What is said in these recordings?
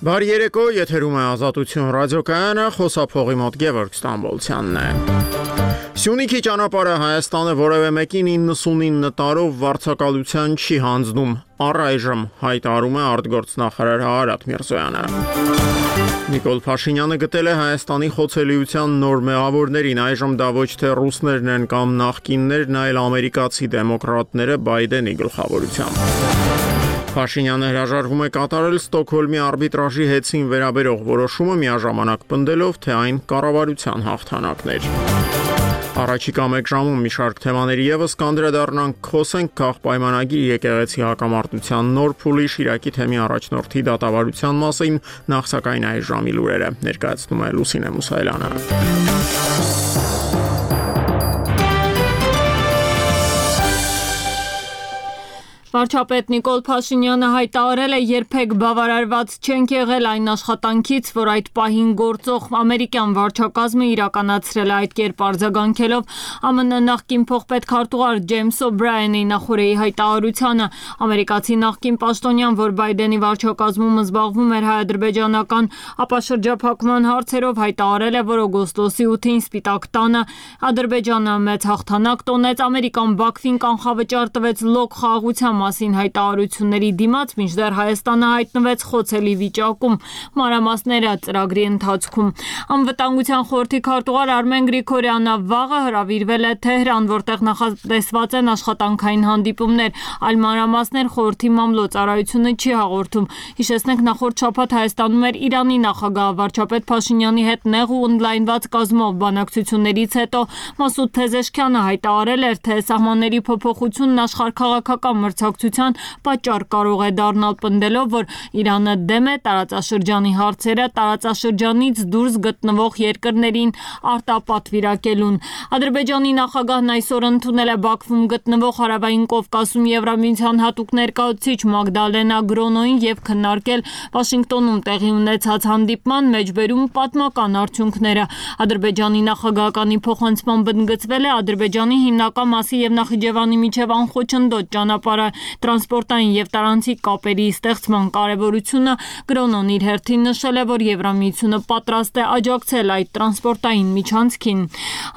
Բարի երեկո, եթերում է Ազատություն ռադիոկայանը, խոսափողի մոտ Գևորգ Ստամբոլցյանն է։ Սյունիքի ճանապարհը Հայաստանը որևէ մեկին 99 տարով վարձակալության չի հանձնում, առայժմ հայտարարում է արտգործնախարար Արարատ Միրզոյանը։ Նիկոլ Փաշինյանը գտել է Հայաստանի խոցելիության նոր մեղավորներին, այժմ դա ոչ թե ռուսներն են կամ նախկիններն, այլ ամերիկացի դեմոկրատները Բայդենի գլխավորությամբ։ Փաշինյանը հրաժարվում է կատարել Ստոկհոլմի արբիտրաժի հետցին վերաբերող որոշումը, միաժամանակ պնդելով, թե այն կառավարության հաղթանակներ։ Առաջիկա մեկ ժամում մի շարք թեմաների ևս կանդրադառնանք, խոսենք քաղաքապայմանագիր եկեղեցի հակամարտության նոր փուլի Շիրակի թեմի առաջնորդի դատավարության մասին, նախ սակայն այս ժամի լուրերը ներկայացնում է Լուսինե Մուսայելյանը։ Վարչապետ Նիկոլ Փաշինյանը հայտարարել է, երբեք բավարարված չենք եղել այն աշխատանքից, որ այդ պահին գործող ամերիկյան վարչակազմը իրականացրել է, այդ կերպ արձագանքելով ԱՄՆ նախկին փոխպետքարտուղար Ջեյմս Օբրայենի նախորդի հայտարարությանը, ամերիկացի նախկին պաշտոնյան, որ Բայդենի վարչակազմում զբաղվում էր հայ-ադրբեջանական ապաշրջափակման հարցերով, հայտարարել է, որ օգոստոսի 8-ին Սպիտակ տանը Ադրբեջանը մեծ հաղթանակ տոնեց, Ամերիկան Բաքվին կանխավճար տվեց լոկ խաղաղության մասին հայտարարությունների դիմաց, մինչդեռ Հայաստանը հայտնվեց խոցելի վիճակում, մանրամասները ծրագրի ընթացքում։ Անվտանգության խորհրդի քարտուղար Արմեն Գրիգորյանը վաղը հրավիրվել է Թեհրան, որտեղ նախատեսված են աշխատանքային հանդիպումներ, այլ մանրամասներ խորհրդի մամլոյցարայությունը չի հաղորդում։ Հիշեցնենք, նախորդ շաբաթ Հայաստանում էր Իրանի նախագահ վարչապետ Փաշինյանի հետ նեղ ու օնլայն կազմով բանակցություններից հետո Մասուդ Փեզեշքյանը հայտարարել էր, թե սահմանների փոփոխությունն աշխարհաքաղաքական մրցակցության պատճառ կարող է դառնալ, պնդելով, որ Իրանը դեմ է տարածաշրջանի հարցերը տարածաշրջանից դուրս գտնվող երկրներին արտապատվիրակելուն։ Ադրբեջանի նախագահն այսօր ընդունել է Բաքվում գտնվող Հարավային Կովկասում Եվրամիության հատուկ ներկայացուցիչ Մագդալենա Գրոնոին և քննարկել Վաշինգտոնում տեղի ունեցած հանդիպման մեջ բերում պատմական արդյունքները։ Ադրբեջանի նախագահականի փոխանցմամբ ընդգծվել է Ադրբեջանի հիմնական մասի և Նախիջևանի միջև անխոչնդոտ ճանապարհը տրանսպորտային և տարանցիկ կապերի ստեղծման կարևորությունը։ Գրոնոն իր հերթին նշել է, որ Եվրամիությունը պատրաստ է աջակցել այդ տրանսպորտային միջանցքին։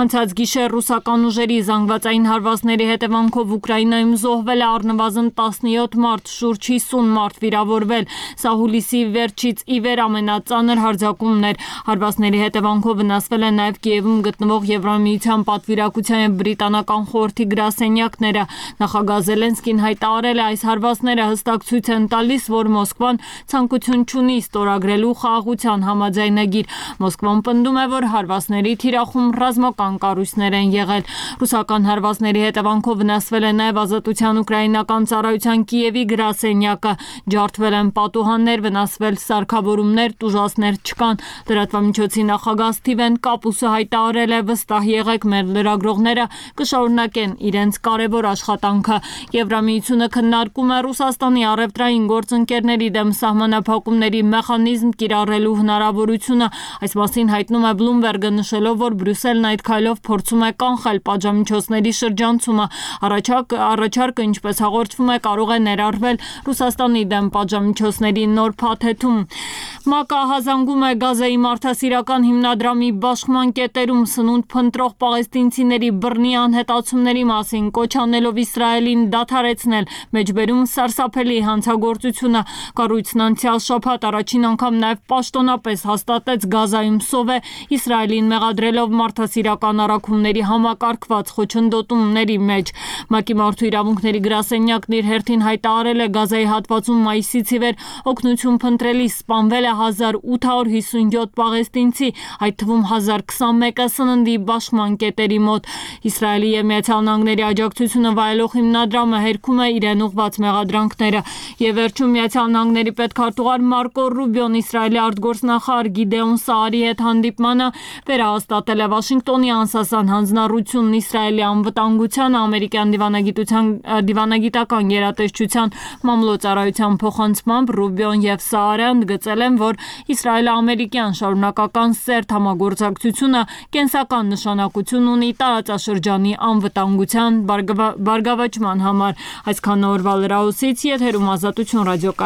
Անցած գիշեր ռուսական ուժերի զանգվածային հարվածների հետևանքով Ուկրաինայում զոհվել է առնվազն 17 մարդ, շուրջ 50 մարդ վիրավորվել։ Սա հուլիսի վերջից ի վեր ամենածանր հարձակումն էր։ Հարվածների հետևանքով վնասվել է նաև Կիևում գտնվող Եվրամիության պատվիրակության և բրիտանական խորհրդի գրասենյակները։ Նախագահ Զելենսկին հայտարարել է, այս հարվածները հստակ ցույց են տալիս, որ Մոսկվան ցանկություն չունի ստորագրելու խաղաղության համաձայնագիր։ Մոսկվան պնդում է, որ հարվածների թիրախում ռազմական կառույցներ են եղել։ Ռուսական հարվածների հետևանքով վնասվել է նաև Ազատության ուկրաինական ծառայության Կիևի գրասենյակը, ջարդվել են պատուհաններ, վնասվել սարքավորումներ, տուժածներ չկան։ Լրատվամիջոցի նախագահ Սթիվեն Կապուսը հայտարարել է, վստահ եղեք, մեր լրագրողները կշարունակեն իրենց կարևոր աշխատանքը։ Եվրամիությունը քննարկում է Ռուսաստանի առևտրային գործընկերների դեմ սահմանափակումների մեխանիզմ կիրառելու հնարավորությունը։ Այս մասին հայտնում է Bloomberg-ը, նշելով, որ Բրյուսելն այդ քայլով փորձում է կանխել պատժամիջոցների շրջանցումը։ Առաջարկը, ինչպես հաղորդվում է, կարող է ներառվել Ռուսաստանի դեմ պատժամիջոցների նոր փաթեթում։ ՄԱԿ-ը ահազանգում է Գազայի մարդասիրական հիմնադրամի բաշխման կետերում սնունդ փնտրող պաղեստինցիների բռնի անհետացումների մասին, կոչ անելով Իսրայելին դադարեցնել, մեջբերում սարսափելի հանցագործությունը։ Կառույցն անցյալ շաբաթ առաջին անգամ նաև պաշտոնապես հաստատեց Գազայում սովե, Իսրայելին մեղադրելով մարդասիրական առաքումների համակարգված խոչընդոտումների մեջ։ ՄԱԿ-ի մարդու իրավունքների գրասենյակն իր հերթին հայտարարել է, Գազայի հատվածում մայիսից ի վեր օգնություն փնտրելիս սպանվել է 1857 պաղեստինցի, այդ թվում 1021-ը սննդի բաշխման կետերի մոտ։ Իսրայելի և Միացյալ Նահանգների աջակցությունը վայելող հիմնադրամը հերքում է իրեն ուղղված մեղադրանքները։ Եվ վերջում Միացյալ Նահանգների պետքարտուղար Մարկո Ռուբիոն Իսրայելի արտգործնախարար Գիդեոն Սաարի հետ հանդիպմանը վերահաստատել է Վաշինգտոնի անսասան հանձնառությունն Իսրայելի անվտանգությանը, ամերիկյան դիվանագիտական գերատեսչության մամլոյցարայության փոխանցմամբ Ռուբիոն և Սաարը ընդգծել են, որ Իսրայելա-ամերիկյան շարունակական սերտ համագործակցությունը կենսական նշանակություն ունի տարածաշրջանի անվտանգության բարգավաճման համար։ Այսքան օրվա լրահոսից եթերում Ազատություն ռադիոկայան